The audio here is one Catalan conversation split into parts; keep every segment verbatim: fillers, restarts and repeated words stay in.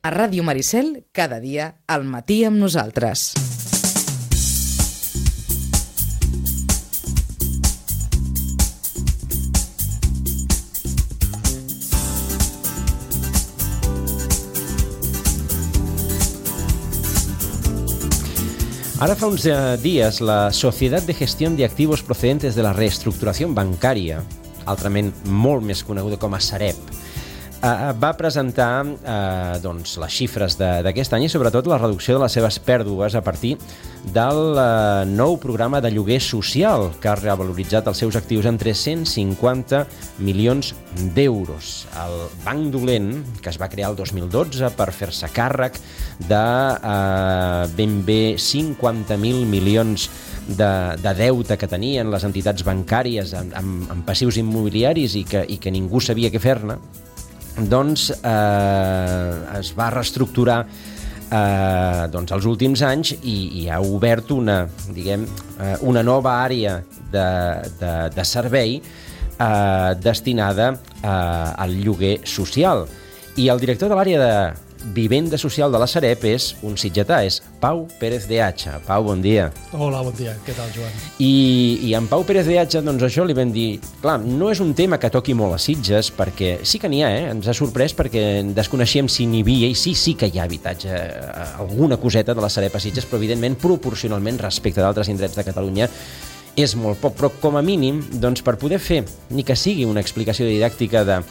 A Ràdio Maricel, cada dia, al matí amb nosaltres. Ara fa uns dies, la Societat de Gestión de Activos Procedentes de la Reestructuració Bancària, altrament molt més coneguda com a Sareb, va presentar eh, doncs, les xifres d'aquest any i sobretot la reducció de les seves pèrdues a partir del eh, nou programa de lloguer social que ha revaloritzat els seus actius en tres-cents cinquanta milions d'euros. El Banc Dolent, que es va crear el dos mil dotze per fer-se càrrec de eh, ben bé cinquanta mil milions de, de deute que tenien les entitats bancàries amb, amb, amb passius immobiliaris i que, i que ningú sabia què fer-ne, doncs eh, es va reestructurar eh, doncs, els últims anys i, i ha obert una, diguem, eh, una nova àrea de, de, de servei eh, destinada eh, al lloguer social. I el director de l'àrea de Vivenda Social de la Sareb és un sitgetà, és Pau Pérez de Hacha. Pau, bon dia. Hola, bon dia. Què tal, Joan? I, i en Pau Pérez de Hacha, doncs això li vam dir, clar, no és un tema que toqui molt a Sitges, perquè sí que n'hi ha, eh? Ens ha sorprès perquè desconeixíem si n'hi havia, i sí, sí que hi ha habitatge, alguna coseta de la Sareb a Sitges, però evidentment, proporcionalment, respecte d'altres indrets de Catalunya, és molt poc. Però com a mínim, doncs per poder fer, ni que sigui una explicació didàctica de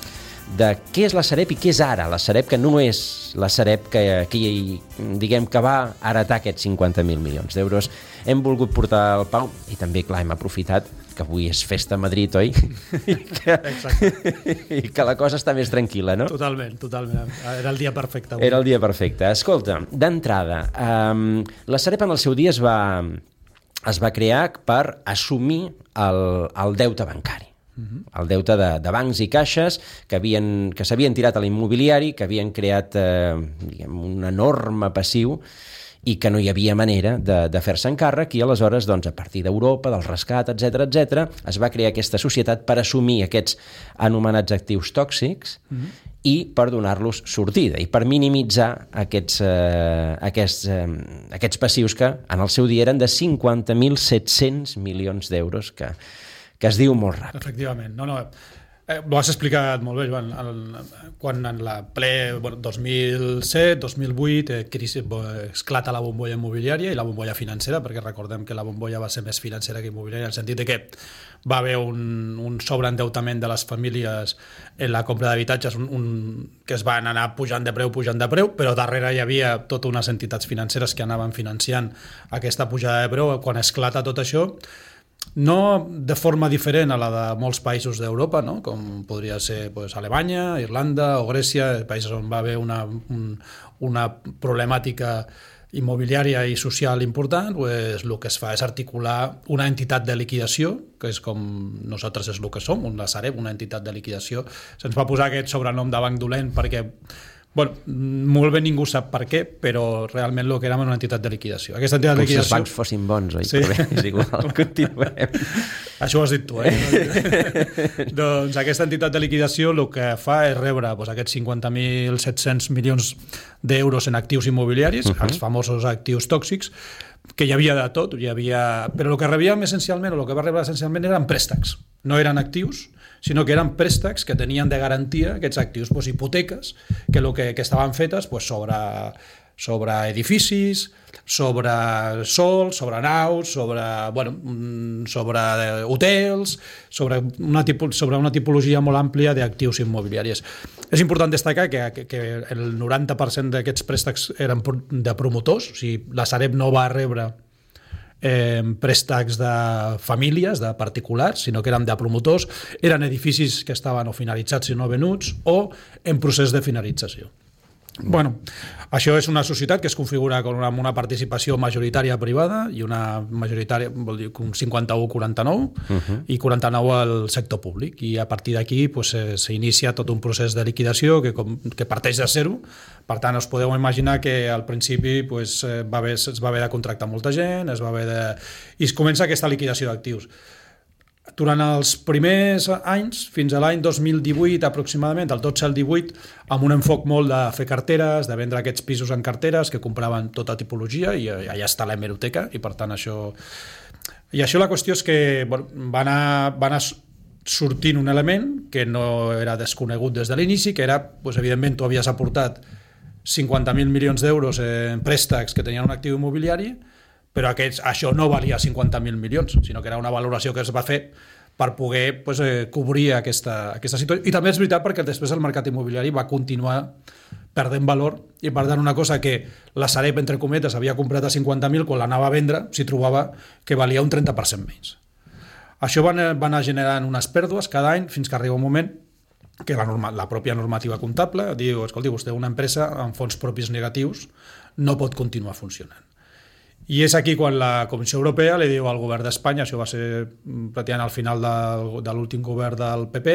de què és la Sareb i què és ara la Sareb, que no és la Sareb que, que, diguem, que va heretar aquests cinquanta mil milions d'euros. Hem volgut portar el Pau i també, clar, hem aprofitat que avui és festa a Madrid, oi? I que, i que la cosa està més tranquil·la, no? Totalment, totalment. Era el dia perfecte. Avui. Era el dia perfecte. Escolta, d'entrada, um, la Sareb en el seu dia es va, es va crear per assumir el, el deute bancari. El deute de, de bancs i caixes que, havien, que s'havien tirat a l'immobiliari, que havien creat eh, diguem, un enorme passiu i que no hi havia manera de, de fer-se encàrrec i aleshores, doncs, a partir d'Europa, del rescat, etcètera, etcètera, es va crear aquesta societat per assumir aquests anomenats actius tòxics mm-hmm. i per donar-los sortida i per minimitzar aquests, eh, aquests, eh, aquests passius que en el seu dia eren de cinquanta mil set-cents milions d'euros que que es diu molt ràpid. Efectivament. No, no, eh, ho has explicat molt bé, Joan. El, quan en la ple bueno, dos mil set dos mil vuit eh, crisi, esclata la bombolla immobiliària i la bombolla financera, perquè recordem que la bombolla va ser més financera que immobiliària, en el sentit de que va haver un, un sobreendeutament de les famílies en la compra d'habitatges un, un, que es van anar pujant de preu, pujant de preu, però darrere hi havia totes unes entitats financeres que anaven financiant aquesta pujada de preu. Quan esclata tot això, no de forma diferent a la de molts països d'Europa, no? Com podria ser pues, Alemanya, Irlanda o Grècia, països on va haver una, un, una problemàtica immobiliària i social important, pues, el que es fa és articular una entitat de liquidació, que és com nosaltres és el que som, la Sareb, una entitat de liquidació. Se'ns va posar aquest sobrenom de banc dolent perquè bueno, molt bé ningú sap per què, però realment el que érem una entitat de liquidació. Aquesta entitat Com de liquidació... si els bancs fossin bons, oi? Sí. Però bé, és igual, continuem. Això ho has dit tu, eh? Doncs aquesta entitat de liquidació el que fa és rebre doncs, aquests cinquanta mil set-cents milions d'euros en actius immobiliaris, uh-huh. els famosos actius tòxics, que hi havia de tot, hi havia... però el que rebíem essencialment, o el que va rebre essencialment eren préstecs, no eren actius, sinó que eren préstecs que tenien de garantia aquests actius, doncs, hipoteques, que, lo que, que estaven fetes doncs, sobre, sobre edificis, sobre sols, sobre naus, sobre, bueno, sobre hotels, sobre una, tipo, sobre una tipologia molt àmplia d'actius immobiliaris. És important destacar que, que, que el noranta per cent d'aquests préstecs eren de promotors, o sigui, la Sareb no va rebre Eh, préstecs de famílies, de particulars, sinó que eren de promotors, eren edificis que estaven o finalitzats i no venuts o en procés de finalització. Bueno, això és una societat que es configura com una, una participació majoritària privada i una majoritària, vol dir, un cinquanta-u quaranta-nou uh-huh. i quaranta-nou al sector públic, i a partir d'aquí pues, s'inicia tot un procés de liquidació que, com, que parteix de zero. Per tant, us podeu imaginar que al principi pues, va haver, es va haver de contractar molta gent, es va haver de... i es comença aquesta liquidació d'actius. Durant els primers anys, fins a l'any dos mil divuit aproximadament, el dotze al divuit, amb un enfoc molt de fer carteres, de vendre aquests pisos en carteres que compraven tota tipologia, i allà està l'hemeroteca, i per tant això... I això la qüestió és que bueno, va, anar, va anar sortint un element que no era desconegut des de l'inici, que era, doncs, evidentment, tu havies aportat cinquanta mil milions d'euros en préstecs que tenien un actiu immobiliari, però aquests, això no valia cinquanta mil milions, sinó que era una valoració que es va fer per poder pues, eh, cobrir aquesta, aquesta situació. I també és veritat perquè després el mercat immobiliari va continuar perdent valor, i per tant una cosa que la Sareb, entre cometes, havia comprat a cinquanta mil, quan l'anava a vendre s'hi trobava que valia un trenta per cent menys. Això va anar, va anar generant unes pèrdues cada any fins que arriba un moment que la, norma, la pròpia normativa comptable diu, escolti, vostè una empresa amb fons propis negatius no pot continuar funcionant. I és aquí quan la Comissió Europea li diu al govern d'Espanya, això va ser pràcticament al final de, de l'últim govern del P P,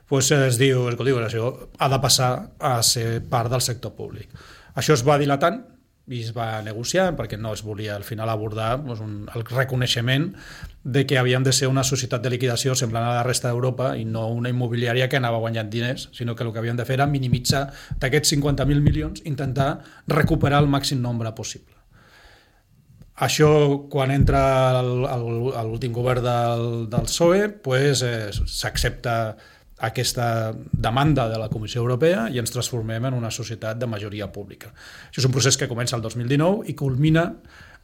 doncs es diu, escolti, això ha de passar a ser part del sector públic. Això es va dilatant i es va negociant perquè no es volia al final abordar doncs, un, el reconeixement de que havíem de ser una societat de liquidació semblant a la resta d'Europa i no una immobiliària que anava guanyant diners, sinó que el que havíem de fer era minimitzar d'aquests cinquanta mil milions, intentar recuperar el màxim nombre possible. Això, quan entra l'últim govern del, del P S O E, pues, eh, s'accepta aquesta demanda de la Comissió Europea i ens transformem en una societat de majoria pública. Això és un procés que comença el dos mil dinou i culmina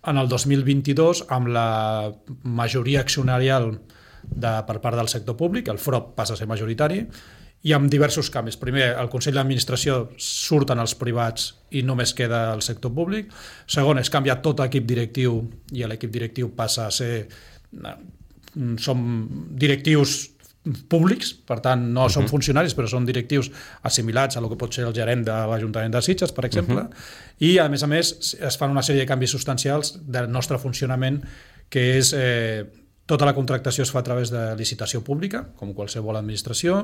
en el dos mil vint-i-dos amb la majoria accionarial de, per part del sector públic, el F R O P passa a ser majoritari, i amb diversos canvis. Primer, el Consell d'Administració surten els privats i només queda el sector públic. Segon, es canvia tot l'equip directiu i l'equip directiu passa a ser... Som directius públics, per tant, no uh-huh. són funcionaris, però són directius assimilats a el que pot ser el gerent de l'Ajuntament de Sitges, per exemple, uh-huh. i, a més a més, es fan una sèrie de canvis substancials del nostre funcionament, que és... Eh, tota la contractació es fa a través de licitació pública, com qualsevol administració,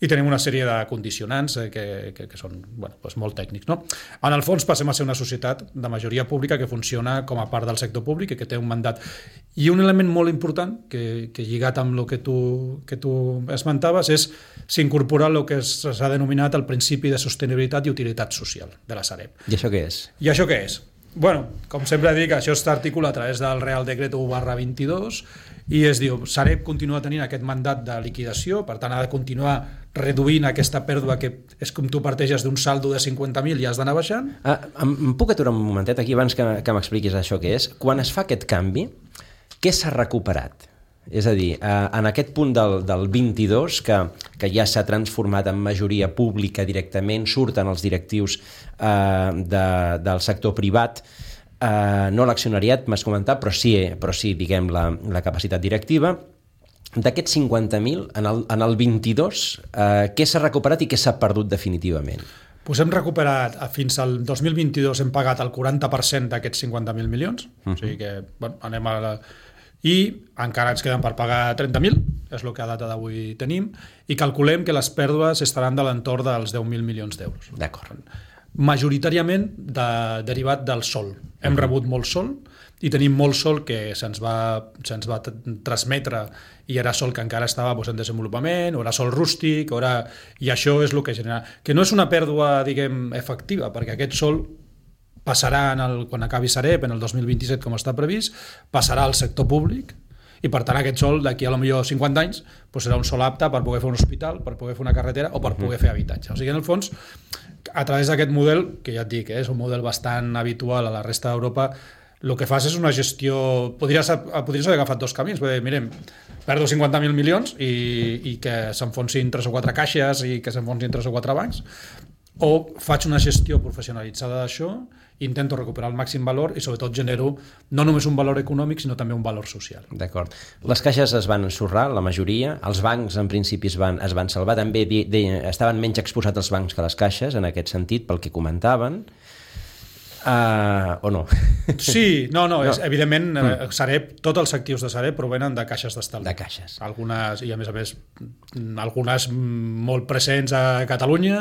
i tenim una sèrie de condicionants que, que, que són bueno, doncs molt tècnics. No? En el fons passem a ser una societat de majoria pública que funciona com a part del sector públic i que té un mandat. I un element molt important, que, que lligat amb el que tu, que tu esmentaves, és s'incorpora el que s'ha denominat el principi de sostenibilitat i utilitat social de la Sareb. I això què és? I això què és? Bueno, com sempre dic, això s'articula a través del Real Decreto u barra vint-i-dos i es diu, Sareb continua tenint aquest mandat de liquidació, per tant ha de continuar reduint aquesta pèrdua que és com tu parteixes d'un saldo de cinquanta mil i has d'anar baixant. Ah, em puc aturar un momentet aquí abans que, que m'expliquis això que és? Quan es fa aquest canvi, què s'ha recuperat? És a dir, en aquest punt del, del vint-i-dos, que, que ja s'ha transformat en majoria pública directament, surten els directius eh, de, del sector privat, eh, no l'accionariat, m'has comentat, però sí, però sí diguem, la, la capacitat directiva. D'aquests cinquanta mil, en el, en el vint-i-dos, eh, què s'ha recuperat i què s'ha perdut definitivament? Pues hem recuperat, fins al dos mil vint-i-dos hem pagat el quaranta per cent d'aquests cinquanta mil milions, uh-huh. o sigui que bueno, anem a la... i encara ens queden per pagar trenta mil, és el que a data d'avui tenim, i calculem que les pèrdues estaran de l'entorn dels deu mil milions d'euros. D'acord. Majoritàriament de, derivat del sol. Hem uh-huh. rebut molt sol i tenim molt sol que se'ns va, se'ns va transmetre i era sol que encara estava doncs, en desenvolupament, o era sol rústic, o era... i això és el que genera... Que no és una pèrdua, diguem, efectiva, perquè aquest sol passarà en el, quan acabi Sareb, en el dos mil vint-i-set, com està previst, passarà al sector públic, i per tant aquest sol, d'aquí a lo millor cinquanta anys, doncs serà un sol apte per poder fer un hospital, per poder fer una carretera o per poder fer habitatge. O sigui, en el fons, a través d'aquest model, que ja et dic, eh, és un model bastant habitual a la resta d'Europa, el que fas és una gestió... Podries, podries haver agafat dos camins, perquè, mirem, perdo cinquanta mil milions i, i que s'enfonsin tres o quatre caixes i que s'enfonsin tres o quatre bancs, o faig una gestió professionalitzada d'això, intento recuperar el màxim valor i sobretot genero no només un valor econòmic sinó també un valor social. D'acord. Les caixes es van ensorrar, la majoria, els bancs en principi es van, es van salvar, també de, de, estaven menys exposats els bancs que les caixes en aquest sentit pel que comentaven. Uh, o no? Sí, no, no, no. És, evidentment, mm. Sareb, tots els actius de Sareb provenen de caixes d'estalvi. De caixes. Algunes, i a més a més, algunes molt presents a Catalunya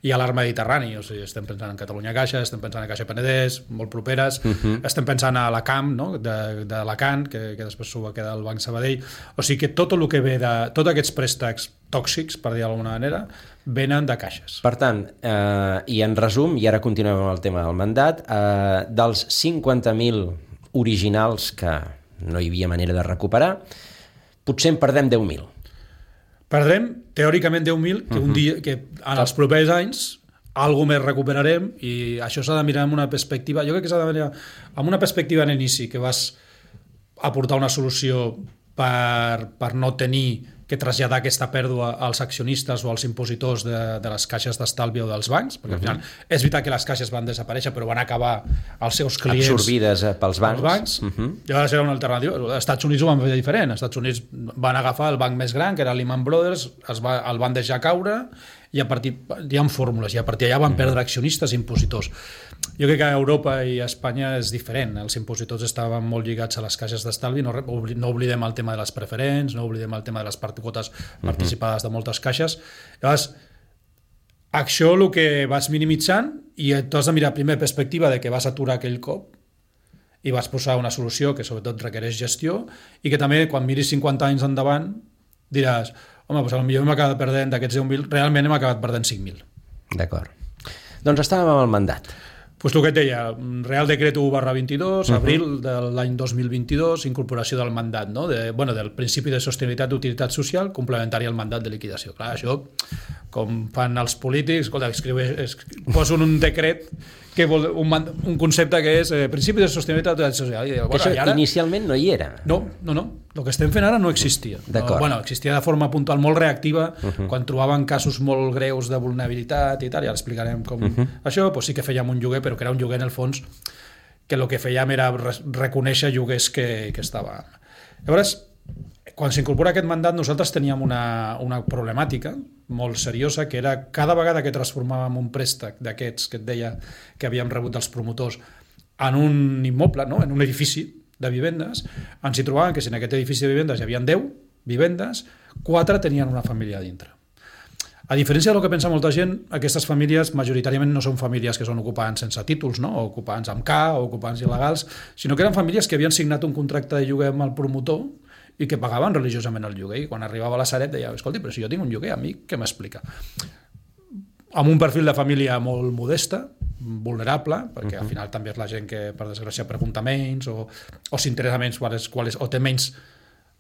i a l'Arc Mediterrani. O sigui, estem pensant en Catalunya Caixa, estem pensant en Caixa Penedès, molt properes, uh-huh. estem pensant a la Camp, no? de, de l'Alacant, que, que després s'ho va quedar al Banc Sabadell. O sigui que tot el que ve de... Tots aquests préstecs tòxics, per dir d'alguna manera, venen de caixes. Per tant, eh, i en resum, i ara continuem amb el tema del mandat, eh, dels cinquanta mil originals que no hi havia manera de recuperar, potser en perdem deu mil. Perdrem, teòricament, deu mil, que, un dia, que en els propers anys alguna més recuperarem, i això s'ha de mirar amb una perspectiva, jo crec que s'ha de mirar amb una perspectiva en inici, que vas aportar una solució per, per no tenir que traslladar aquesta pèrdua als accionistes o als impositors de, de les caixes d'estalvi o dels bancs, perquè al final uh-huh. és veritat que les caixes van desaparèixer, però van acabar els seus clients absorbides pels bancs. bancs. Uh-huh. Llavors era una alternativa. Els Estats Units ho van fer diferent. Els Estats Units van agafar el banc més gran, que era Lehman Brothers, es va, el van deixar caure, i a partir, hi ha fórmules, i a partir d'allà van perdre accionistes i impositors. Jo crec que a Europa i a Espanya és diferent. Els impositors estaven molt lligats a les caixes d'estalvi, no, no oblidem el tema de les preferents, no oblidem el tema de les quotes participades de moltes caixes. Llavors, això el que vas minimitzant, i tu has de mirar primer perspectiva de que vas aturar aquell cop i vas posar una solució que sobretot requereix gestió, i que també quan miris cinquanta anys endavant diràs, home, doncs potser hem acabat perdent d'aquests deu mil, realment hem acabat perdent cinc mil. D'acord. Doncs estàvem amb el mandat. Pues el que et deia, Real Decret u barra vint-i-dos, uh-huh. abril de l'any dos mil vint-i-dos, incorporació del mandat, no? de, bueno, del principi de sostenibilitat d'utilitat social complementari al mandat de liquidació. Clar, això, com fan els polítics, escolta, escriu, escriu, posen un decret que vol, un, un concepte que és eh, principi de sostenibilitat d'utilitat social. I, bueno, això ara, inicialment no hi era. No, no, no. El que estem fent ara no existia. No, bueno, existia de forma puntual molt reactiva, uh-huh. quan trobaven casos molt greus de vulnerabilitat i tal, i ara explicarem com uh-huh. això, doncs sí que fèiem un lloguer, però que era un lloguer en el fons que el que fèiem era reconèixer lloguers que, que estava. Llavors, quan s'incorpora aquest mandat, nosaltres teníem una, una problemàtica molt seriosa, que era cada vegada que transformàvem un préstec d'aquests que et deia que havíem rebut dels promotors en un immoble, no? En un edifici de vivendes, ens hi trobàvem que si en aquest edifici de vivendes hi havia deu vivendes, quatre tenien una família a dintre. A diferència del que pensa molta gent, aquestes famílies majoritàriament no són famílies que són ocupants sense títols, no? O ocupants amb K o ocupants il·legals, sinó que eren famílies que havien signat un contracte de lloguer amb el promotor i que pagaven religiosament el lloguer. I quan arribava a la Sareb deia, escolti, però si jo tinc un lloguer, a mi què m'explica? Amb un perfil de família molt modesta, vulnerable, perquè uh-huh. al final també és la gent que, per desgràcia, pregunta menys o, o s'interessa menys qual és, qual és, o té menys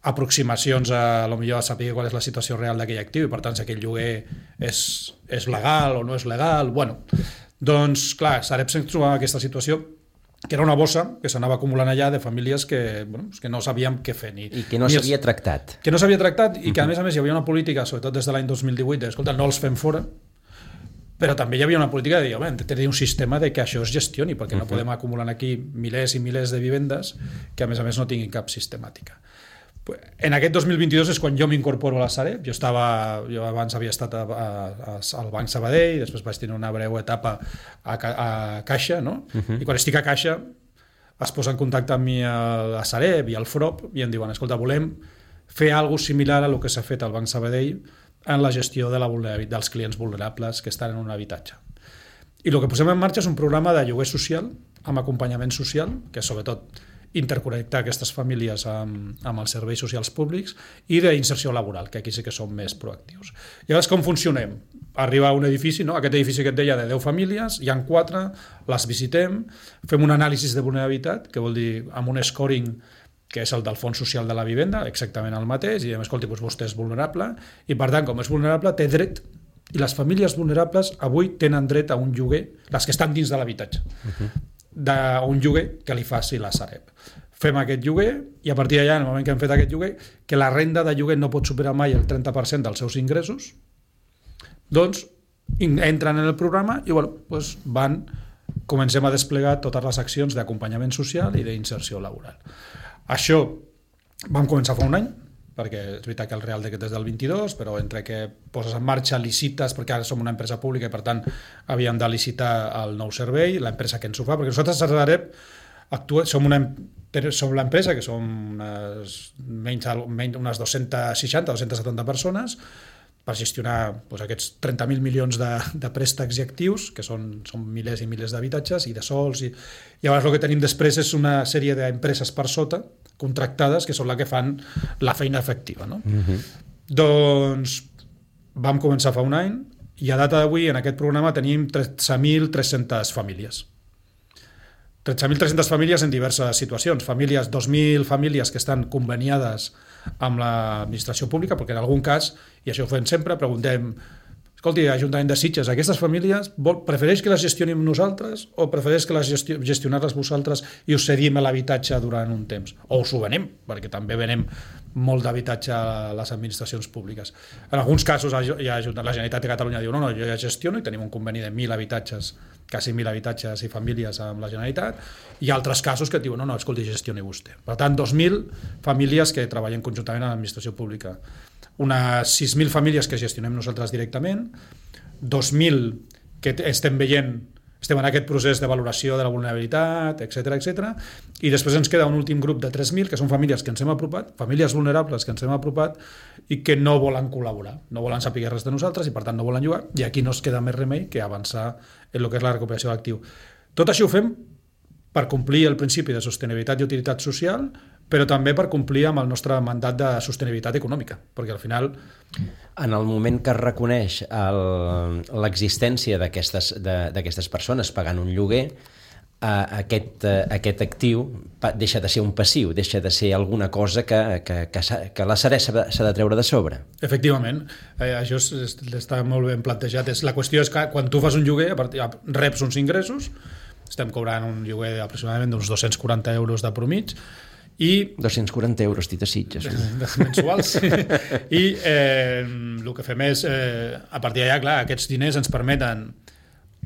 aproximacions a, a lo millor a saber qual és la situació real d'aquell actiu i per tant si aquell lloguer és, és legal o no és legal. Bueno, doncs clar, Sareb se'ns trobava aquesta situació que era una bossa que s'anava acumulant allà de famílies que, bueno, que no sabíem què fer. Ni, I que no s'havia tractat. Que no s'havia tractat i que a més a més hi havia una política, sobretot des de l'any dos mil divuit, de, escolta, no els fem fora, però també hi havia una política de dir, hem de tenir un sistema de que això es gestioni, perquè no podem acumular aquí milers i milers de vivendes que a més a més no tinguin cap sistemàtica. En aquest dos mil vint-i-dos és quan jo m'incorporo a la Sareb. Jo, estava, jo abans havia estat a, a, a, al Banc Sabadell, després vaig tenir una breu etapa a, a Caixa, no? Uh-huh. I quan estic a Caixa es posa en contacte amb mi a la Sareb i al F R O P i em diuen, escolta, volem fer alguna cosa similar a el que s'ha fet al Banc Sabadell en la gestió de la dels clients vulnerables que estan en un habitatge. I el que posem en marxa és un programa de lloguer social amb acompanyament social, que sobretot interconnectar aquestes famílies amb, amb els serveis socials públics i d'inserció laboral, que aquí sí que som més proactius. I llavors com funcionem? Arriba a un edifici, no? Aquest edifici que et deia de deu famílies, hi ha quatre, les visitem, fem un anàlisi de vulnerabilitat, que vol dir amb un scoring que és el del Fons Social de la Vivenda, exactament el mateix, i diem, escolti, doncs vostè és vulnerable, i per tant, com és vulnerable, té dret, i les famílies vulnerables avui tenen dret a un lloguer, les que estan dins de l'habitatge, uh-huh. d'un lloguer que li faci la Sareb. Fem aquest lloguer, i a partir d'allà, en el moment que hem fet aquest lloguer, que la renda de lloguer no pot superar mai el trenta per cent dels seus ingressos, doncs entren en el programa i bueno, doncs van, comencem a desplegar totes les accions d'acompanyament social i d'inserció laboral. Això vam començar fa un any, perquè és veritat que el Real Decret és del vint-i-dos, però entre que poses en marxa, licites, perquè ara som una empresa pública i per tant havíem de licitar el nou servei, l'empresa que ens ho fa, perquè nosaltres a Sareb actua, som una som l'empresa que som unes, menys, menys unes dos-centes seixanta, dos-centes setanta persones per gestionar doncs, aquests trenta mil milions de, de préstecs i actius, que són, són milers i milers d'habitatges i de sols, i llavors el que tenim després és una sèrie d'empreses per sota, contractades, que són les que fan la feina efectiva. No? Mm-hmm. Doncs vam començar fa un any i a data d'avui en aquest programa tenim tretze mil tres-centes famílies. tretze mil tres-centes famílies en diverses situacions. Famílies, dos mil famílies que estan conveniades amb l'administració pública, perquè en algun cas, i això ho fem sempre, preguntem, escolti, Ajuntament de Sitges, aquestes famílies vol, prefereix que les gestionem nosaltres o prefereix que les gestio, gestionar-les vosaltres i us cedim l'habitatge durant un temps? O us ho venem, perquè també venem molt d'habitatge a les administracions públiques. En alguns casos ja, la Generalitat de Catalunya diu no, no, jo ja gestiono i tenim un conveni de mil habitatges, quasi mil habitatges i famílies amb la Generalitat, i altres casos que diuen no, no, escolti, gestioni vostè. Per tant, dos mil famílies que treballen conjuntament a l'administració pública. Unes sis mil famílies que gestionem nosaltres directament, dos mil que estem veient, estem en aquest procés de valoració de la vulnerabilitat, etcètera, etcètera, i després ens queda un últim grup de tres mil, que són famílies que ens hem apropat, famílies vulnerables que ens hem apropat i que no volen col·laborar, no volen saber res de nosaltres i per tant no volen jugar, i aquí no es queda més remei que avançar en el que és la recuperació d'actiu. Tot això ho fem per complir el principi de sostenibilitat i utilitat social, però també per complir amb el nostre mandat de sostenibilitat econòmica, perquè al final... En el moment que es reconeix l'existència d'aquestes persones pagant un lloguer, aquest, aquest actiu deixa de ser un passiu, deixa de ser alguna cosa que, que, que, que la Sareb s'ha de treure de sobre. Efectivament, eh, això és, està molt ben plantejat. És, la qüestió és que quan tu fas un lloguer, a partir, reps uns ingressos, estem cobrant un lloguer aproximadament d'uns dos-cents quaranta euros de promig, i dos-cents quaranta euros, dit a Sitges. Mensuals. I eh, el que fem és, eh, a partir d'allà, clar, aquests diners ens permeten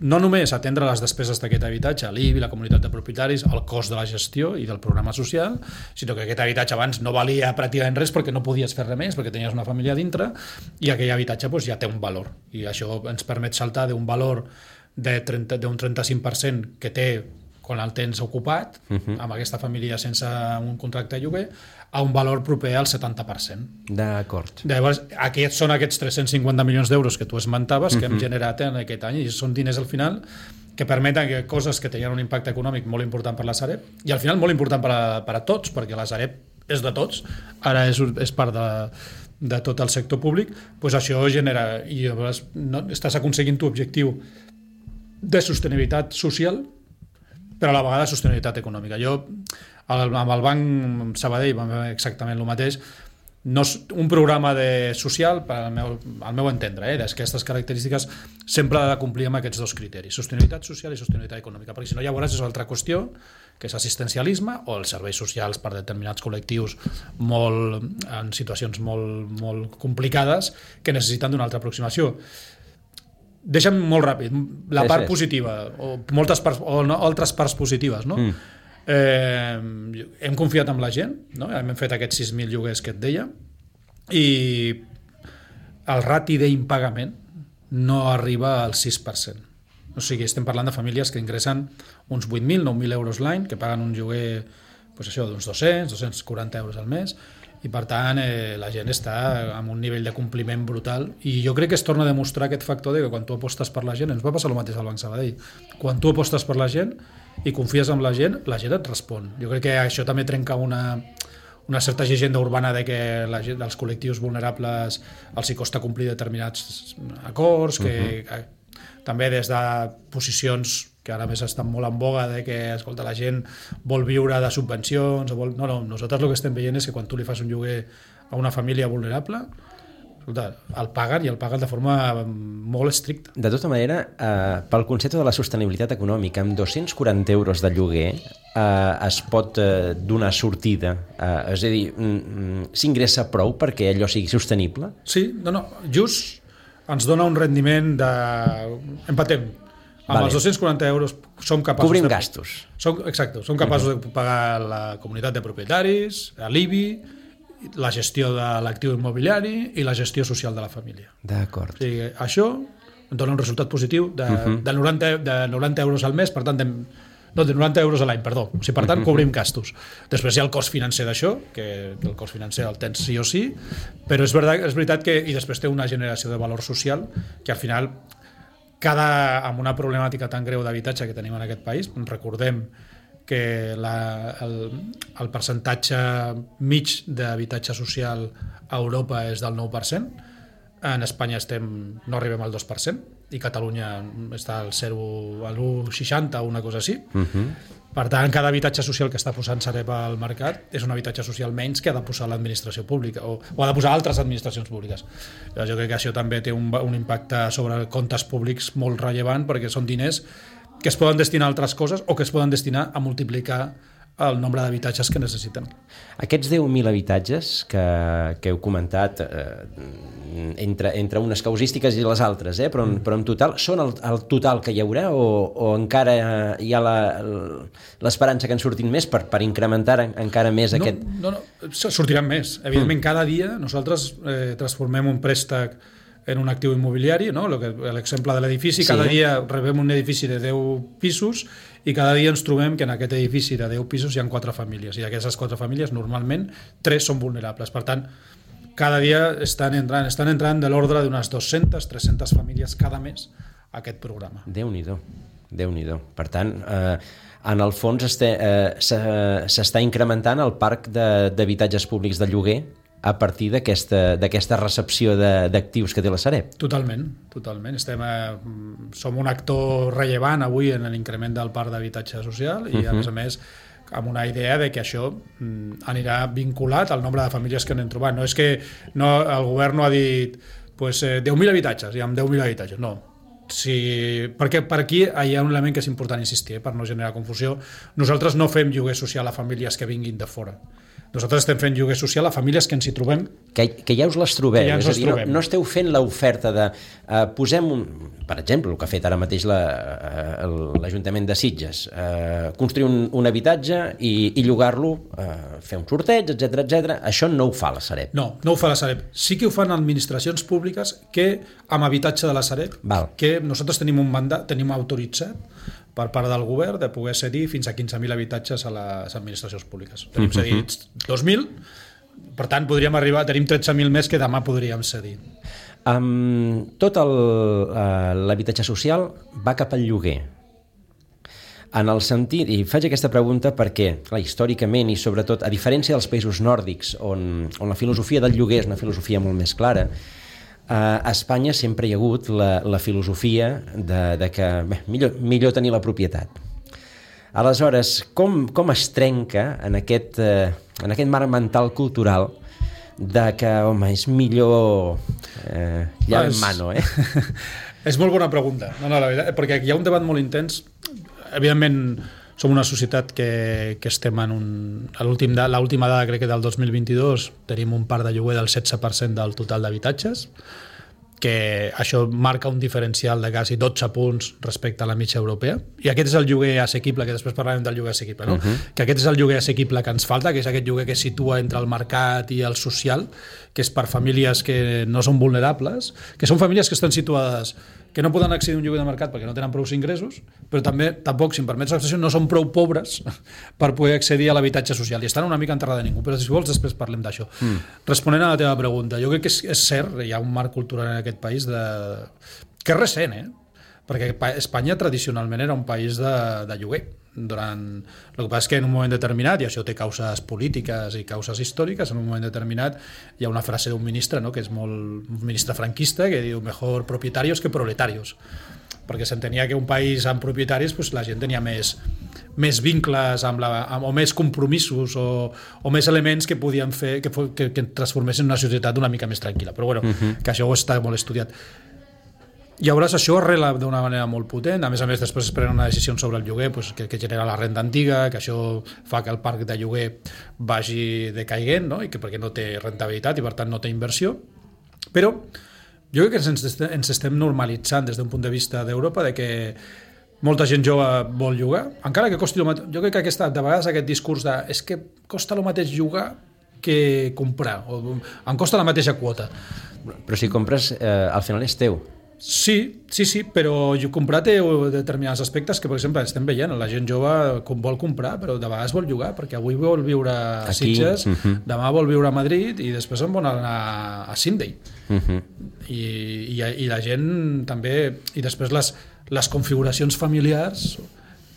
no només atendre les despeses d'aquest habitatge, l'I B I, la comunitat de propietaris, el cost de la gestió i del programa social, sinó que aquest habitatge abans no valia pràcticament res perquè no podies fer res més, perquè tenies una família dintre, i aquell habitatge doncs, ja té un valor. I això ens permet saltar d'un valor d'un trenta-cinc per cent que té quan el tens ocupat, uh-huh. amb aquesta família sense un contracte de lloguer, a un valor proper al setanta per cent. D'acord. Llavors, aquests són aquests tres-cents cinquanta milions d'euros que tu esmentaves, que uh-huh. hem generat en aquest any, i són diners al final que permeten que coses que tenien un impacte econòmic molt important per la Sareb, i al final molt important per a, per a tots, perquè la Sareb és de tots, ara és, és part de, de tot el sector públic, doncs això genera, i llavors no, estàs aconseguint tu objectiu de sostenibilitat social, però a la vegada sostenibilitat econòmica. Jo, amb el Banc Sabadell, vam fer exactament el mateix. No és un programa de social, per al meu, al meu entendre, eh, d'aquestes característiques, sempre ha de complir amb aquests dos criteris, sostenibilitat social i sostenibilitat econòmica, perquè si no, llavors és una altra qüestió, que és assistencialisme o els serveis socials per determinats col·lectius molt, en situacions molt, molt complicades que necessiten d'una altra aproximació. Deixa'm molt ràpid, la part positiva o, moltes parts, o no, altres parts positives, no? Mm. Eh, hem confiat en la gent, no? Hem fet aquests sis mil lloguers que et deia, i el rati d'impagament no arriba al sis per cent. O sigui, estem parlant de famílies que ingressen uns vuit mil, nou mil euros l'any, que paguen un lloguer pues això, d'uns dos-cents, dos-cents quaranta euros al mes, i per tant eh, la gent està amb un nivell de compliment brutal, i jo crec que es torna a demostrar aquest factor de que quan tu apostes per la gent, ens va passar el mateix al Banc Sabadell, quan tu apostes per la gent i confies en la gent, la gent et respon. Jo crec que això també trenca una, una certa llegenda urbana de que la gent, dels col·lectius vulnerables els hi costa complir determinats acords, que, uh-huh. que també des de posicions que ara més estan molt en boga de que, escolta, la gent vol viure de subvencions o vol... No, no, nosaltres el que estem veient és que quan tu li fas un lloguer a una família vulnerable, escolta, el paguen i el paguen de forma molt estricta. De tota manera, eh, pel concepte de la sostenibilitat econòmica, amb dos-cents quaranta euros de lloguer eh, es pot eh, donar sortida, eh, és a dir, mm, s'ingressa prou perquè allò sigui sostenible? Sí, no, no, just ens dona un rendiment de... Empatem. Amb vale. Els dos-cents quaranta euros som capaços... Cobrim de... gastos. Som, exacte, som capaços uh-huh. de pagar la comunitat de propietaris, l'I B I la gestió de l'actiu immobiliari i la gestió social de la família. D'acord. O sigui, això dona un resultat positiu de, uh-huh. de, noranta, de noranta euros al mes, per tant, de, no, de noranta euros a l'any, perdó. O sigui, per tant, uh-huh. cobrim gastos. Després hi ha el cost financer d'això, que, que el cost financer el tens sí o sí, però és veritat, és veritat que i després té una generació de valor social que al final, cada, amb una problemàtica tan greu d'habitatge que tenim en aquest país, recordem que la, el, el percentatge mig d'habitatge social a Europa és del nou per cent, en Espanya estem, no arribem al dos per cent i Catalunya està al zero, a l'u coma seixanta o una cosa així. Uh-huh. Per tant, cada habitatge social que està posant Sareb al mercat és un habitatge social menys que ha de posar l'administració pública o, o ha de posar altres administracions públiques. Jo crec que això també té un, un impacte sobre comptes públics molt rellevant perquè són diners que es poden destinar a altres coses o que es poden destinar a multiplicar el nombre d'habitatges que necessiten. Aquests deu mil habitatges que, que heu comentat eh, entre, entre unes causístiques i les altres, eh, però, en, però en total, són el, el total que hi haurà o, o encara hi ha l'esperança que en surtin més per, per incrementar en, encara més no, aquest... No, no, sortiran més. Evidentment, mm. cada dia nosaltres eh, transformem un préstec en un actiu immobiliari, no? L'exemple de l'edifici, sí. Cada dia rebem un edifici de deu pisos i cada dia ens trobem que en aquest edifici de deu pisos hi ha quatre famílies i d'aquestes quatre famílies normalment tres són vulnerables. Per tant, cada dia estan entrant, estan entrant de l'ordre d'unes dues-centes, tres-centes famílies cada mes a aquest programa. Déu-n'hi-do, Déu-n'hi-do. Per tant, eh, en el fons este, eh, s'està incrementant el parc d'habitatges públics de lloguer a partir d'aquesta recepció d'actius que té la Sareb. Totalment, totalment. Estem a, som un actor rellevant avui en l'increment del parc d'habitatge social i, uh-huh. a més a més, amb una idea de que això anirà vinculat al nombre de famílies que anem trobant. No és que no, el govern no ha dit pues, eh, deu mil habitatges, i amb deu mil habitatges. No. Sí, perquè per aquí hi ha un element que és important insistir, eh, per no generar confusió. Nosaltres no fem lloguer social a famílies que vinguin de fora. Nosaltres estem fent lloguer social a famílies que ens hi trobem. Que, que ja us les trobem. Ja és a dir, no, no esteu fent l'oferta de... Uh, posem, un, per exemple, el que ha fet ara mateix l'Ajuntament de Sitges, uh, construir un, un habitatge i, i llogar-lo, uh, fer un sorteig, etcètera, etcètera. Això no ho fa la Sareb. No, no ho fa la Sareb. Sí que ho fan administracions públiques que, amb habitatge de la Sareb, Val. que nosaltres tenim un mandat, tenim autoritzat per part del govern de poder cedir fins a quinze mil habitatges a les administracions públiques. Tenim uh-huh. cedits dos mil, per tant podríem arribar, tenim tretze mil més que demà podríem cedir. Um, tot l'habitatge social va cap al lloguer. En el sentit, i faig aquesta pregunta perquè, clar, històricament i sobretot, a diferència dels països nòrdics on, on la filosofia del lloguer és una filosofia molt més clara, a Espanya sempre hi ha hagut la, la filosofia de, de que bé, millor, millor tenir la propietat. Aleshores, com, com es trenca en aquest, eh, en aquest marc mental cultural de que, home, és millor eh, ja en mano, eh? És molt bona pregunta, no, no, la veritat, perquè hi ha un debat molt intens. Evidentment, som una societat que, que estem en un... L'última dada, crec que del dos mil vint-i-dos, tenim un parc de lloguer del setze per cent del total d'habitatges, que això marca un diferencial de quasi dotze punts respecte a la mitja europea. I aquest és el lloguer assequible, que després parlarem del lloguer assequible, no? Uh-huh. Que aquest és el lloguer assequible que ens falta, que és aquest lloguer que es situa entre el mercat i el social, que és per famílies que no són vulnerables, que són famílies que estan situades que no poden accedir a un lloguer de mercat perquè no tenen prou ingressos, però també, tampoc, si em permets l'expressió, no són prou pobres per poder accedir a l'habitatge social i estan una mica en terra de ningú, però si vols després parlem d'això. Mm. Responent a la teva pregunta, jo crec que és, és cert, hi ha un marc cultural en aquest país de... que és recent, eh? Perquè Espanya tradicionalment era un país de, de lloguer. Durant... El que passa és que en un moment determinat, i això té causes polítiques i causes històriques, en un moment determinat hi ha una frase d'un ministre, no?, que és molt un ministre franquista, que diu mejor propietarios que proletarios, perquè s'entenia que un país amb propietaris pues, la gent tenia més, més vincles amb la, amb, o més compromisos o, o més elements que podien fer que, que, que transformessin una societat una mica més tranquil·la, però bueno, uh-huh. que això ho està molt estudiat. Llavors això arrela d'una manera molt potent, a més a més després es prenen una decisió sobre el lloguer pues, que, que genera la renda antiga, que això fa que el parc de lloguer vagi decaiguent, no? I que perquè no té rentabilitat i per tant no té inversió, però jo crec que ens, ens estem normalitzant des d'un punt de vista d'Europa de que molta gent jove vol llogar, encara que costi el mateix. Jo crec que aquesta, de vegades aquest discurs de és que costa el mateix llogar que comprar, o em costa la mateixa quota. Però si compres, eh, al final és teu. Sí, sí, sí, però jo comprar té determinats aspectes que, per exemple, estem veient, la gent jove com vol comprar, però de vegades vol llogar, perquè avui vol viure a Aquí, Sitges, uh-huh. demà vol viure a Madrid i després en vol anar a Sydney. Uh-huh. I, i, I la gent també... I després les, les configuracions familiars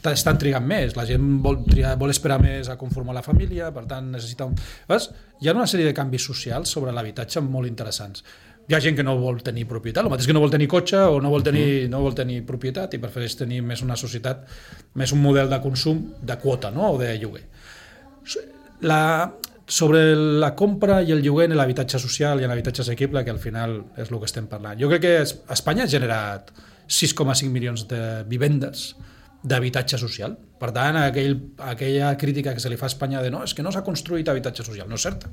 estan trigant més, la gent vol, triar, vol esperar més a conformar la família, per tant necessita... Un... Veus? Hi ha una sèrie de canvis socials sobre l'habitatge molt interessants. Hi ha gent que no vol tenir propietat, el mateix que no vol tenir cotxe o no vol tenir, no vol tenir propietat i prefereix tenir més una societat, més un model de consum de quota, no? O de lloguer. La, sobre la compra i el lloguer en l'habitatge social i en l'habitatge assequible, que al final és el que estem parlant. Jo crec que Espanya ha generat sis coma cinc milions de vivendes d'habitatge social. Per tant, aquell, aquella crítica que se li fa a Espanya de no, és que no s'ha construït habitatge social, no és certa.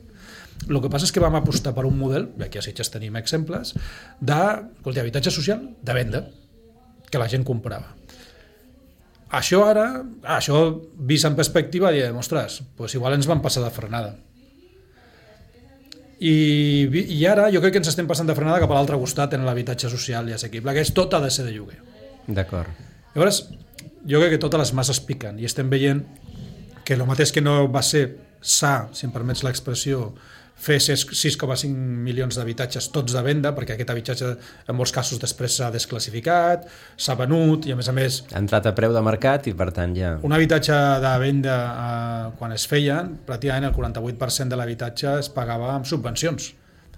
El que passa és que vam apostar per un model, i aquí a Sitges tenim exemples, d'habitatge social de venda, que la gent comprava. Això ara, això vist en perspectiva, diem, ostres, doncs igual ens van passar de frenada. I, I ara jo crec que ens estem passant de frenada cap a l'altre costat en l'habitatge social i assequible, que és tot ha de ser de lloguer. D'acord. Llavors, jo crec que totes les masses piquen i estem veient que el mateix que no va ser sa, si em permets l'expressió, fer sis coma cinc milions d'habitatges tots de venda, perquè aquest habitatge en molts casos després s'ha desclassificat, s'ha venut i a més a més... Ha entrat a preu de mercat i per tant ja... Un habitatge de venda, eh, quan es feien, pràcticament el quaranta-vuit per cent de l'habitatge es pagava amb subvencions.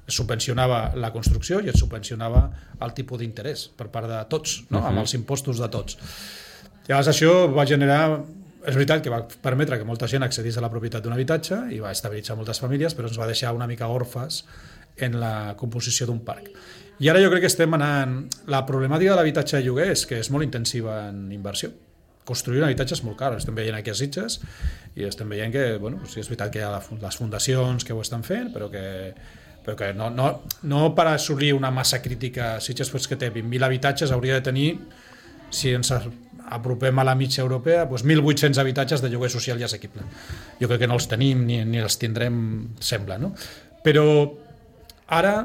Es subvencionava la construcció i es subvencionava el tipus d'interès per part de tots, no? Uh-huh. Amb els impostos de tots. Llavors això va generar... És veritat que va permetre que molta gent accedís a la propietat d'un habitatge i va estabilitzar moltes famílies, però ens va deixar una mica orfes en la composició d'un parc. I ara jo crec que estem anant... La problemàtica de l'habitatge de lloguer és que és molt intensiva en inversió. Construir un habitatge és molt car. Estem veient aquí a Sitges i estem veient que, bueno, sí, és veritat que hi ha les fundacions que ho estan fent, però que, però que no, no, no per assolir una massa crítica. Sitges, pues, que té vint mil habitatges, hauria de tenir, si ens apropem a la mitja europea, doncs mil vuit-cents habitatges de lloguer social i assequible. Jo crec que no els tenim ni, ni els tindrem, sembla, no? Però ara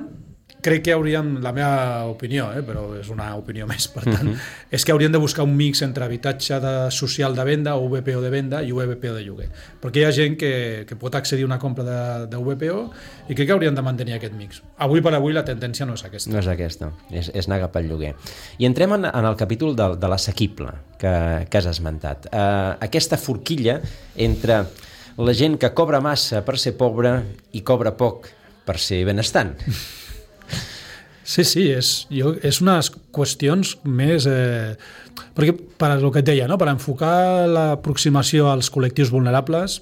crec que hauríem, la meva opinió, eh, però és una opinió més, per tant, uh-huh. és que hauríem de buscar un mix entre habitatge de social de venda o U V P O de venda i U V P O de lloguer. Perquè hi ha gent que, que pot accedir a una compra de, de U V P O i crec que hauríem de mantenir aquest mix. Avui per avui la tendència no és aquesta. No és aquesta, és, és anar cap al lloguer. I entrem en, en el capítol de, de l'assequible que, que has esmentat. Uh, aquesta forquilla entre la gent que cobra massa per ser pobre i cobra poc per ser benestant. Sí, sí, és, jo, és unes qüestions més... Eh, perquè, per el que et deia, no? Per enfocar l'aproximació als col·lectius vulnerables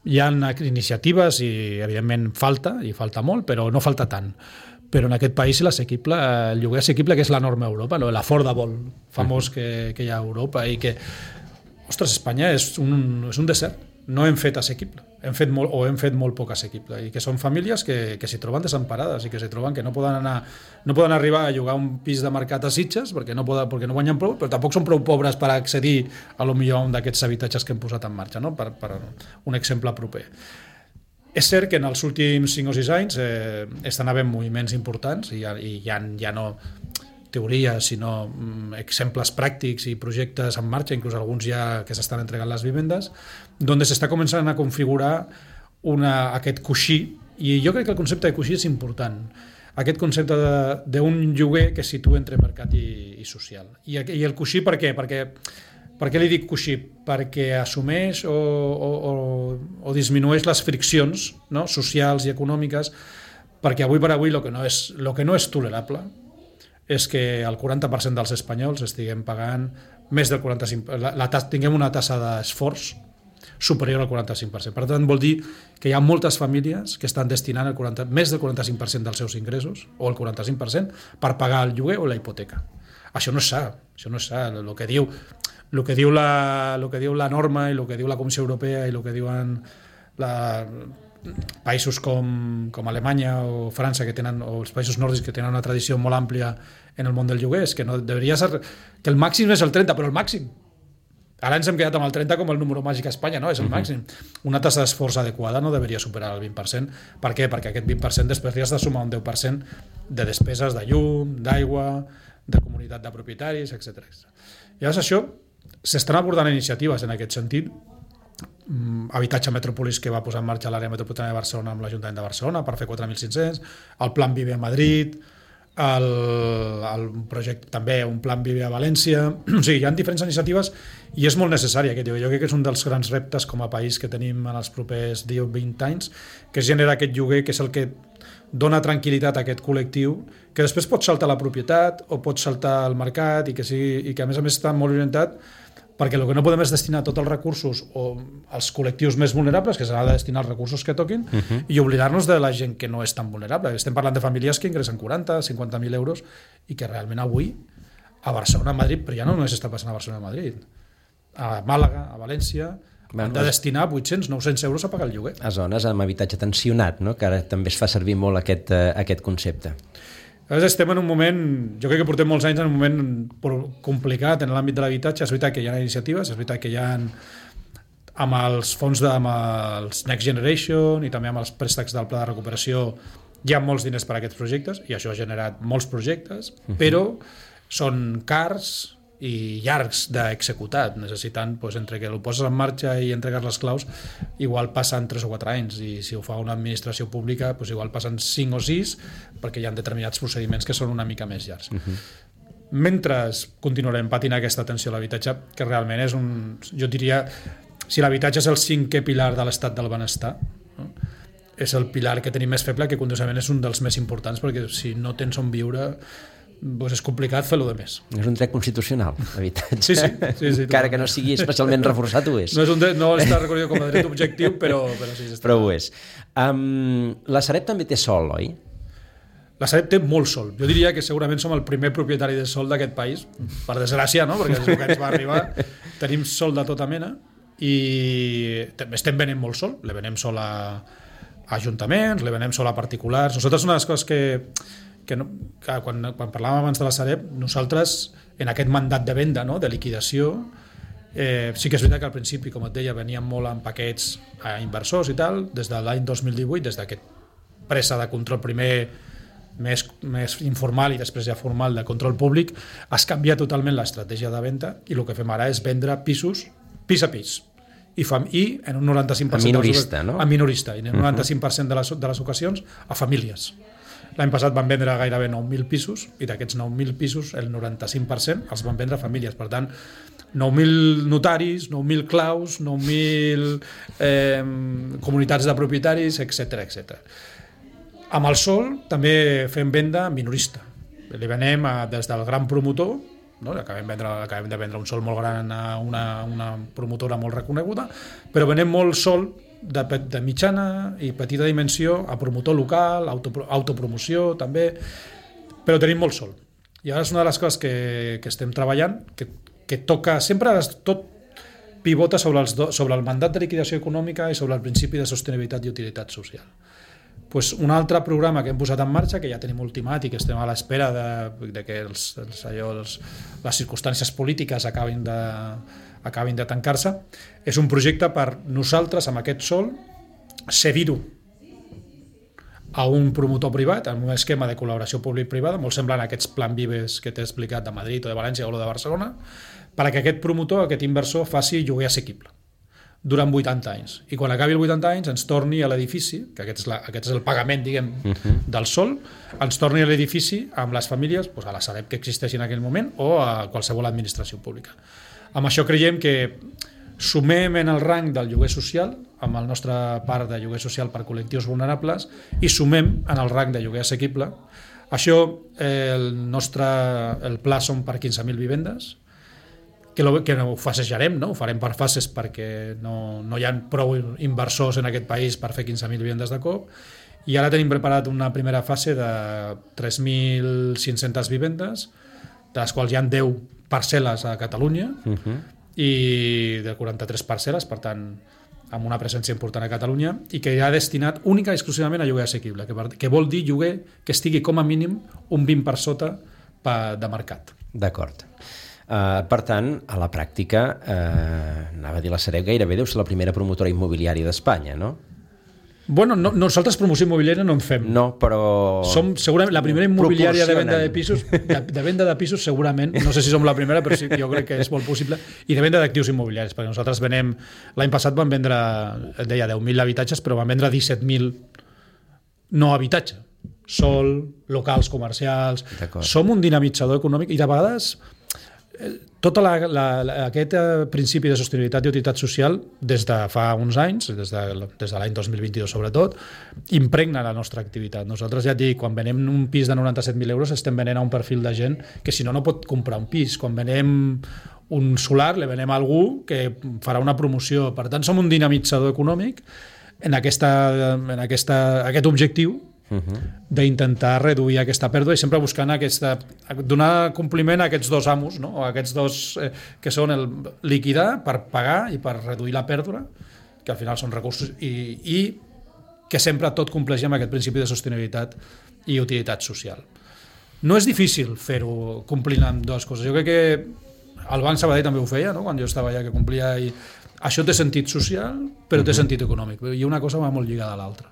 hi ha iniciatives i, evidentment, falta, i falta molt, però no falta tant. Però en aquest país l'assequible, el lloguer assequible, que és la norma a Europa, no? L'affordable famós que, que hi ha a Europa i que, ostres, Espanya és un, és un desert. No hem fet assequible, hem fet molt, o hem fet molt poc assequible, i que són famílies que, que s'hi troben desemparades i que s'hi troben que no poden anar, no poden arribar a llogar un pis de mercat a Sitges perquè no, poden, perquè no guanyen prou, però tampoc són prou pobres per accedir a lo millor a un d'aquests habitatges que hem posat en marxa, no? per, per un exemple proper. És cert que en els últims cinc o sis anys eh, estan havent moviments importants i, i ja, ja no teories, sinó mm, exemples pràctics i projectes en marxa, inclús alguns ja que s'estan entregant les vivendes, on s'està començant a configurar una, aquest coixí, i jo crec que el concepte de coixí és important, aquest concepte d'un lloguer que es situa entre mercat i, i social. I, I el coixí per què? Perquè, per què li dic coixí? Perquè assumeix o, o, o, o disminueix les friccions, no? Socials i econòmiques, perquè avui per avui el que no és, lo que no és tolerable és que el quaranta per cent dels espanyols estiguem pagant més del quaranta-cinc per cent, la, la, tinguem una tassa d'esforç superior al quaranta-cinc per cent. Per tant, vol dir que hi ha moltes famílies que estan destinant el quaranta, més del quaranta-cinc per cent dels seus ingressos, o el quaranta-cinc per cent, per pagar el lloguer o la hipoteca. Això no és sa, això no és sa. El que diu, el que diu, la, el que diu la norma i el que diu la Comissió Europea i el que diuen la... països com, com Alemanya o França, que tenen, o els països nòrdics que tenen una tradició molt àmplia en el món del lloguer, és que no deveria ser, que el màxim és el trenta, però el màxim Ara ens hem quedat amb el trenta com el número màgic a Espanya, no? És el uh-huh. màxim. Una tassa d'esforç adequada no deveria superar el vint per cent. Per què? Perquè aquest vint per cent després li has de sumar un deu per cent de despeses de llum, d'aigua, de comunitat de propietaris, etcètera. Llavors això, s'estan abordant iniciatives en aquest sentit. Habitatge Metropolis, que va posar en marxa l'àrea metropolitana de Barcelona amb l'Ajuntament de Barcelona per fer quatre mil cinc-cents, el Plan Vive a Madrid, el, el projecte també, un Plan Vive a València. O sigui, hi ha diferents iniciatives i és molt necessari aquest lloguer. Jo crec que és un dels grans reptes com a país que tenim en els propers deu o vint anys, que és generar aquest lloguer, que és el que dona tranquil·litat a aquest col·lectiu, que després pot saltar la propietat o pot saltar el mercat i que, sigui, i que a més a més està molt orientat, perquè el que no podem és destinar tots els recursos o als col·lectius més vulnerables, que s'ha de destinar els recursos que toquin, uh-huh. i oblidar-nos de la gent que no és tan vulnerable. Estem parlant de famílies que ingressen quaranta, cinquanta mil euros i que realment avui a Barcelona, a Madrid, però ja no només està passant a Barcelona, a Madrid, a Màlaga, a València, bueno, han de destinar vuit-cents, nou-cents euros a pagar el lloguer. A zones amb habitatge tensionat, no? Que ara també es fa servir molt aquest, uh, aquest concepte. Llavors estem en un moment, jo crec que portem molts anys en un moment complicat en l'àmbit de l'habitatge. És veritat que hi ha iniciatives, és veritat que hi ha amb els fons de, amb els Next Generation i també amb els préstecs del Pla de Recuperació hi ha molts diners per a aquests projectes i això ha generat molts projectes, uh-huh. però són cars i llargs d'executar, necessitant, doncs, entre que el poses en marxa i entregues les claus, igual passen tres o quatre anys, i si ho fa una administració pública, doncs igual passen cinc o sis, perquè hi ha determinats procediments que són una mica més llargs. Uh-huh. Mentre continuarem patint aquesta atenció a l'habitatge, que realment és un... Jo diria, si l'habitatge és el cinquè pilar de l'estat del benestar, no? És el pilar que tenim més feble, que curiosament és un dels més importants, perquè si no tens on viure... Pues és complicat fer-lo de més. És un dret constitucional, l'habitatge. Sí, sí. sí, sí Encara que no sigui especialment reforçat, ho és. No, és un dret, no està reconegut com a dret objectiu, però, però sí. Està però ho és. Um, la Sareb també té sol, oi? La Sareb té molt sol. Jo diria que segurament som el primer propietari de sol d'aquest país, per desgràcia, no? Perquè des que ens va arribar tenim sol de tota mena i estem venent molt sol. Le venem sol a, a ajuntaments, le venem sol a particulars. Nosaltres una de les coses que... que, no, que quan, quan parlàvem abans de la Sareb, nosaltres en aquest mandat de venda, no, de liquidació, eh, sí que és veritat que al principi, com et deia, veníem molt en paquets a inversors i tal, des de l'any dos mil divuit, des d'aquest pressa de control primer més, més informal i després ja formal de control públic, es canvia totalment l'estratègia de venda i el que fem ara és vendre pisos pis a pis i, fam i en un noranta-cinc per cent a minorista, les, no? A minorista, i en un noranta-cinc per cent de les, de les ocasions a famílies. L'any passat van vendre gairebé nou mil pisos i d'aquests nou mil pisos el noranta-cinc per cent els van vendre a famílies. Per tant, nou mil notaris, nou mil claus, nou mil eh, comunitats de propietaris, etcètera etcètera. Amb el sol també fem venda minorista. Li venem a, des del gran promotor, no? acabem, vendre, acabem de vendre un sol molt gran a una, una promotora molt reconeguda, però venem molt sol de, de mitjana i petita dimensió a promotor local, auto, autopromoció també, però tenim molt sol. I ara és una de les coses que, que estem treballant, que, que toca, sempre tot pivota sobre, els do, sobre el mandat de liquidació econòmica i sobre el principi de sostenibilitat i utilitat social. Pues un altre programa que hem posat en marxa, que ja tenim ultimat i que estem a l'espera de, de que els, els, allò, els, les circumstàncies polítiques acabin de, acabin de tancar-se, és un projecte per nosaltres, amb aquest sol, cedir-ho a un promotor privat, en un esquema de col·laboració públic-privada, molt semblant a aquests Plan Vives que t'he explicat de Madrid o de València o de Barcelona, perquè aquest promotor, aquest inversor, faci lloguer assequible durant vuitanta anys. I quan acabi els vuitanta anys ens torni a l'edifici, que aquest és, la, aquest és el pagament, diguem, uh-huh. del sol, ens torni a l'edifici amb les famílies, doncs a la Sareb que existeixi en aquell moment o a qualsevol administració pública. Amb això creiem que sumem en el rang del lloguer social, amb el nostre part de lloguer social per col·lectius vulnerables, i sumem en el rang de lloguer assequible. Això, eh, el nostre el pla són per quinze mil vivendes, que, lo, que ho fasejarem, no? Ho farem per fases perquè no, no hi ha prou inversors en aquest país per fer quinze mil vivendes de cop, i ara tenim preparat una primera fase de tres mil cinc-centes vivendes, de les quals hi ha deu parcel·les a Catalunya, uh-huh. i de quaranta-tres parcel·les, per tant, amb una presència important a Catalunya, i que ja ha destinat única i exclusivament a lloguer assequible, que, que vol dir lloguer que estigui com a mínim un vint per sota de mercat. D'acord. Uh, per tant, a la pràctica, uh, anava a dir la Sareb, gairebé deu ser la primera promotora immobiliària d'Espanya, no? Bueno, no, nosaltres promoció immobiliària no en fem. No, però... Som segurament la primera immobiliària de venda de pisos, de, de venda de pisos segurament, no sé si som la primera, però sí, jo crec que és molt possible, i de venda d'actius immobiliaris, perquè nosaltres venem, l'any passat vam vendre, et deia, deu mil habitatges, però vam vendre disset mil no habitatge, sol, locals comercials, som un dinamitzador econòmic i de vegades tot la, la, la, aquest principi de sostenibilitat i utilitat social des de fa uns anys, des de, des de l'any dos mil vint-i-dos sobretot, impregna la nostra activitat. Nosaltres ja et dic, quan venem un pis de noranta-set mil euros estem venent a un perfil de gent que si no no pot comprar un pis. Quan venem un solar le venem a algú que farà una promoció. Per tant, som un dinamitzador econòmic en, aquesta, en aquesta, aquest objectiu Uh-huh. d'intentar reduir aquesta pèrdua i sempre buscant aquesta, donar compliment a aquests dos amos, no? O aquests dos eh, que són el liquidar per pagar i per reduir la pèrdua, que al final són recursos, i, i que sempre tot compleixi amb aquest principi de sostenibilitat i utilitat social. No és difícil fer-ho complint amb dues coses. Jo crec que el Banc Sabadell també ho feia, no? Quan jo estava allà, que complia, i això té sentit social però té uh-huh. sentit econòmic, i una cosa va molt lligada a l'altra.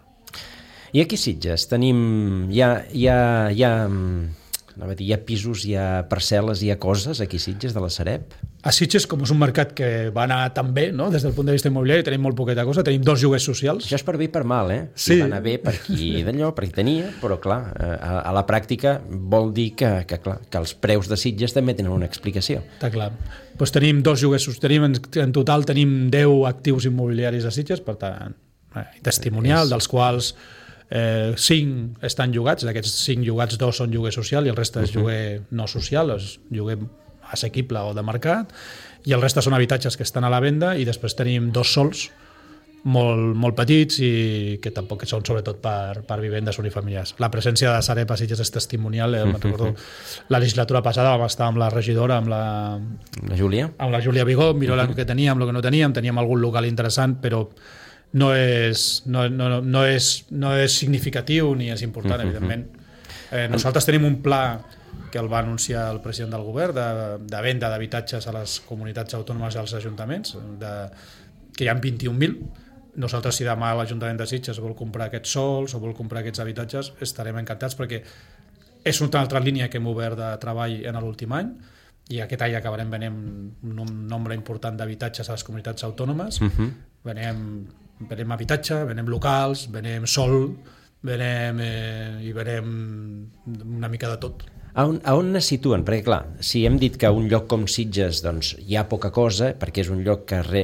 I aquí a Sitges tenim, hi ha, hi ha, hi ha, no dir, hi ha pisos, hi ha parcel·les, hi ha coses aquí a Sitges de la Sareb? A Sitges, com és un mercat que va anar tan bé, no? Des del punt de vista immobiliari, tenim molt poqueta cosa, tenim dos lloguers socials. Això és per bé i per mal, eh? Sí. Va anar bé per qui d'allò, per qui tenia, però clar, a, a la pràctica vol dir que, que, clar, que els preus de Sitges també tenen una explicació. Està clar. Pues tenim dos lloguers socials, tenim, en, en total tenim deu actius immobiliaris a Sitges, per tant, eh, testimonial, és... dels quals Eh, cinc estan llogats, d'aquests cinc llogats dos són lloguer social i el reste és lloguer no social, és lloguer assequible o de mercat, i el reste són habitatges que estan a la venda, i després tenim dos sols molt, molt petits i que tampoc són sobretot per, per vivendes unifamiliars. La presència de Sareb a Sitges és testimonial, eh? Me'n recordo la legislatura passada vam estar amb la regidora, amb la, la Júlia amb la Júlia Vigó, mirant uh-huh. el que teníem, el que no teníem, teníem algun local interessant, però no és, no, no, no és, no és significatiu ni és important, uh-huh. evidentment. Eh, nosaltres tenim un pla que el va anunciar el president del govern de, de venda d'habitatges a les comunitats autònomes i als ajuntaments, de, que hi ha vint-i-un mil. Nosaltres, si demà l'Ajuntament de Sitges vol comprar aquests sols o vol comprar aquests habitatges, estarem encantats, perquè és una altra línia que hem obert de treball en l'últim any, i aquest any acabarem venent un nombre important d'habitatges a les comunitats autònomes. Uh-huh. venem venem habitatge, venem locals, venem sol, venem, eh, i venem una mica de tot. A on, a on es situen? Perquè clar, si hem dit que un lloc com Sitges doncs, hi ha poca cosa, perquè és un lloc que, re,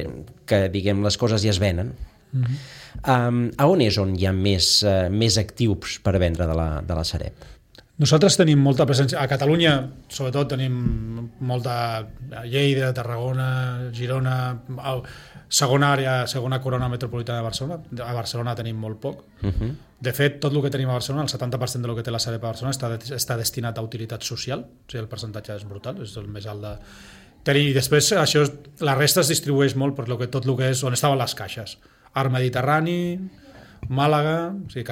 que diguem, les coses ja es venen, uh-huh. um, a on és on hi ha més, uh, més actius per vendre de la, de la Sareb? Nosaltres tenim molta presència. A Catalunya, sobretot, tenim molta a Lleida, Tarragona, Girona, segona àrea, segona corona metropolitana de Barcelona. A Barcelona tenim molt poc. Uh-huh. De fet, tot el que tenim a Barcelona, el setanta per cent del que té la Sareb a Barcelona està, està destinat a utilitat social. O sigui, el percentatge és brutal, és el més alt de... I després, això, la resta es distribueix molt per lo que, tot el que és on estaven les caixes. Ar Mediterrani, Màlaga, o sigui,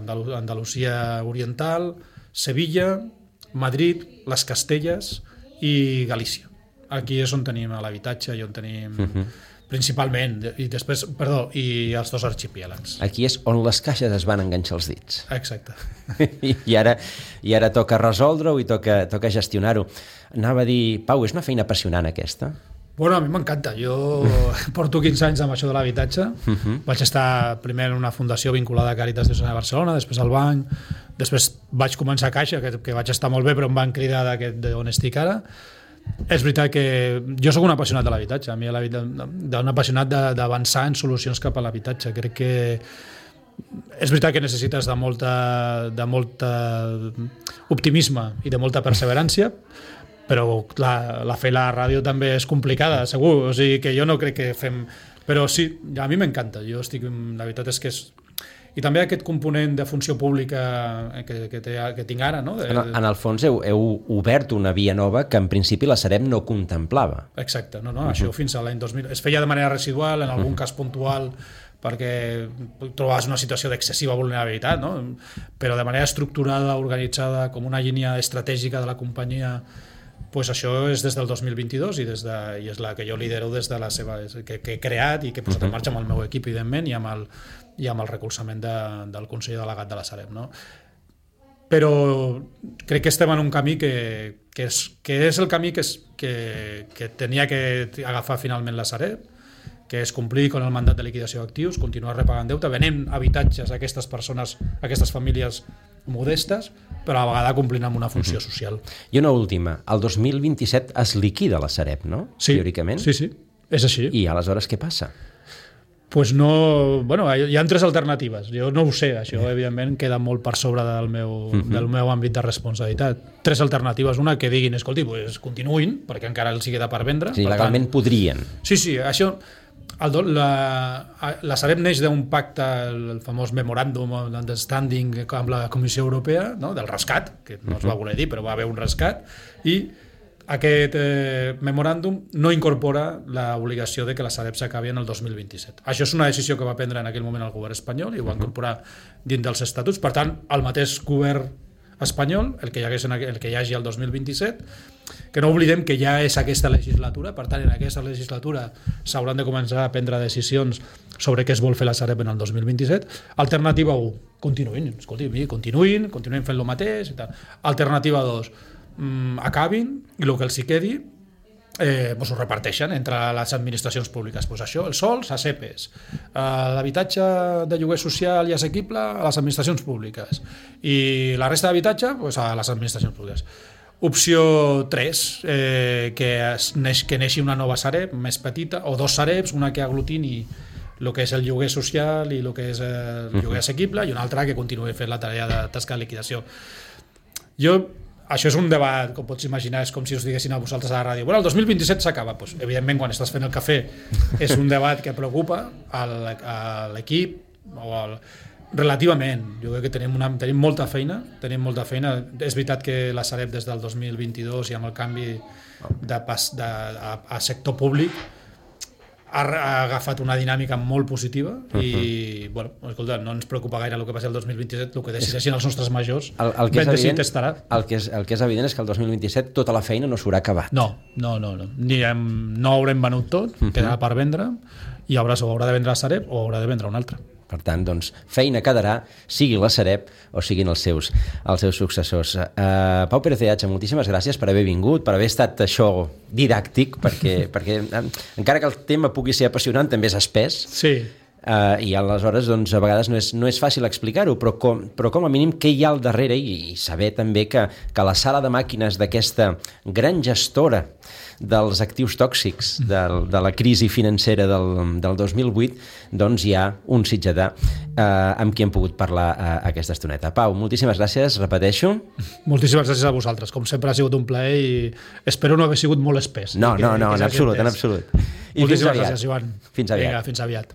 Andalu- Andalusia Oriental, Sevilla, Madrid, les Castelles i Galícia. Aquí és on tenim l'habitatge i on tenim uh-huh. principalment, i després, perdó, i els dos arxipièlags. Aquí és on les caixes es van enganxar els dits. Exacte. I, i, ara, i ara toca resoldre-ho i toca, toca gestionar-ho. Anava a dir, Pau, és una feina apassionant aquesta? Bueno, a mi m'encanta. Jo porto quinze anys amb això de l'habitatge. Uh-huh. Vaig estar primer en una fundació vinculada a Càritas de Barcelona, després al banc, després vaig començar a Caixa, que, que vaig estar molt bé, però em van cridar d'on estic ara. És veritat que jo sóc un apassionat de l'habitatge, a mi un apassionat d'avançar en solucions cap a l'habitatge. Crec que és veritat que necessites de molta, de molta optimisme i de molta perseverància, però la, la fer la ràdio també és complicada, segur, o sigui que jo no crec que fem... Però sí, a mi m'encanta, jo estic... La veritat és que és... I també aquest component de funció pública que, que, té, que tinc ara, no? De... En, en el fons heu, heu obert una via nova que en principi la Sareb no contemplava. Exacte, no, no, uh-huh. això fins a l'any dos mil... Es feia de manera residual, en algun uh-huh. cas puntual, perquè trobaves una situació d'excessiva vulnerabilitat, no? Però de manera estructurada, organitzada, com una línia estratègica de la companyia, pues això és des del dos mil vint-i-dos i, des de, i és la que jo lidero des de la seva, que, que he creat i que he posat en marxa amb el meu equip, evidentment, i amb el, i amb el recolzament de, del Consell Delegat de la Sareb, no? Però crec que estem en un camí que, que, és, que és el camí que, és, que, que tenia que agafar finalment la Sareb, que és complir amb el mandat de liquidació d'actius, continuar repagant deute, venent habitatges a aquestes persones, a aquestes famílies modestes, però a la vegada complint amb una funció social. I una última, el dos mil vint-i-set es liquida la Sareb, no? Sí, teòricament. Sí, sí, és així. I aleshores què passa? Pues no... Bueno, hi ha tres alternatives. Jo no ho sé, això evidentment queda molt per sobre del meu, uh-huh. del meu àmbit de responsabilitat. Tres alternatives. Una, que diguin, escolti, pues continuïn, perquè encara els hi queda per vendre. Sí, per legalment tant, podrien. Sí, sí, això... El, la, la Sareb neix d'un pacte, el famós memoràndum d'understanding amb la Comissió Europea, no? Del rescat, que no es va voler dir, però va haver un rescat, i aquest eh, memoràndum no incorpora l'obligació de que la Sareb s'acabi en el dos mil vint-i-set. Això és una decisió que va prendre en aquell moment el govern espanyol i ho va incorporar dins dels estatuts. Per tant, el mateix govern espanyol, el que hi hagués en el que hi hagi el dos mil vint-i-set, que no oblidem que ja és aquesta legislatura, per tant, en aquesta legislatura s'hauran de començar a prendre decisions sobre què es vol fer la Sareb en el dos mil vint-i-set. Alternativa u, continuïn, escolti, continuïn, continuïn fent el mateix i tal. Alternativa dos, mmm, acabin i el que els hi quedi eh, pues ho reparteixen entre les administracions públiques. Pues això, els sols a SEPES, eh, l'habitatge de lloguer social i assequible a les administracions públiques i la resta d'habitatge pues, a les administracions públiques. Opció tres, eh, que, es neix, que neixi una nova Sareb més petita, o dos Sarebs, una que aglutini el que és el lloguer social i el que és el lloguer assequible i una altra que continuï fent la tarea de tasca de liquidació. Jo, això és un debat, com pots imaginar, és com si us diguessin a vosaltres a la ràdio, bueno, el dos mil vint-i-set s'acaba. Pues, evidentment, quan estàs fent el cafè és un debat que preocupa a l'equip o al... Relativament, jo crec que tenim, una, tenim molta feina, tenim molta feina. És veritat que la Sareb des del dos mil vint-i-dos i amb el canvi de pas, de, a, a sector públic ha, ha agafat una dinàmica molt positiva i, uh-huh. bueno, escolta, no ens preocupa gaire el que passi el dos mil vint-i-set, el que decideixin els nostres majors, el, el que ben és decidit evident, estarà. El que, és, el que és evident és que el dos mil vint-i-set tota la feina no s'haurà acabat. No, no, no. No, Ni hem, no haurem venut tot, uh-huh. quedarà per vendre i haurà, o haurà de vendre la Sareb o haurà de vendre una altra. Per tant, doncs, feina quedarà, sigui la Sareb o siguin els seus, els seus successors. Uh, Pau Pérez de Hacha, moltíssimes gràcies per haver vingut, per haver estat això didàctic, perquè, perquè encara que el tema pugui ser apassionant, també és espès. Sí. Uh, i aleshores doncs, a vegades no és, no és fàcil explicar-ho, però com, però com a mínim què hi ha al darrere i, i saber també que, que la sala de màquines d'aquesta gran gestora dels actius tòxics del, de la crisi financera del, del dos mil vuit, doncs hi ha un sitjadà eh, amb qui hem pogut parlar eh, aquesta estoneta. Pau, moltíssimes gràcies, repeteixo. Moltíssimes gràcies a vosaltres, com sempre ha sigut un plaer i espero no haver sigut molt espès. No, que, no, no, que en absolut, en absolut. I moltíssimes fins aviat. gràcies, Joan. Fins aviat. Vinga, fins aviat.